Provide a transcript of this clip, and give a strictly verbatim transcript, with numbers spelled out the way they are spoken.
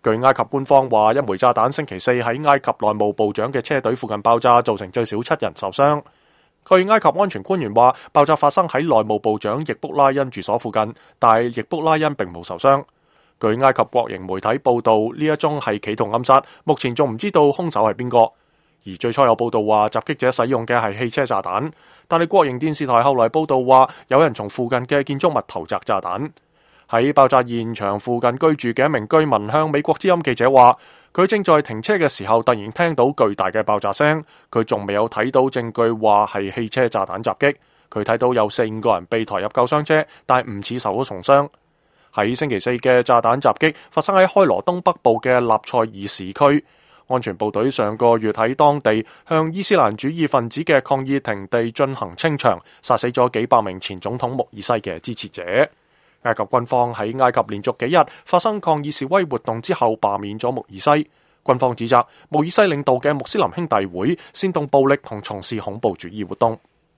據埃及官方話，一枚炸彈星期四喺埃及內務部長嘅車隊附近爆炸，造成最少七人受傷。據埃及安全官員話，爆炸發生喺內務部長易卜拉恩住所附近，但易卜拉恩並冇受傷。據埃及國營媒體報道，呢一宗係企圖暗殺，目前仲唔知道兇手係邊個。而最初有報道話，襲擊者使用嘅係汽車炸彈，但係國營電視台後來報道話，有人從附近嘅建築物投擲炸彈。喺爆炸現場附近居住嘅一名居民向美國之音記者話，佢正在停車嘅時候突然聽到巨大嘅爆炸聲，佢仲未有睇到證據話係汽車炸彈襲擊。佢睇到有四五個人被抬入救傷車，但唔似受咗重傷。喺星期四嘅炸彈襲擊發生喺開羅東北部嘅納賽爾市區，安全部隊上個月喺當地向伊斯蘭主義分子嘅抗議停地進行清場，殺死咗幾百名前總統穆爾西嘅支持者。埃及軍方喺埃及連續幾日發生抗議示威活動之後罷免咗穆爾西。軍方指責穆爾西領導嘅穆斯林兄弟會煽動暴力同從事恐怖主義活動。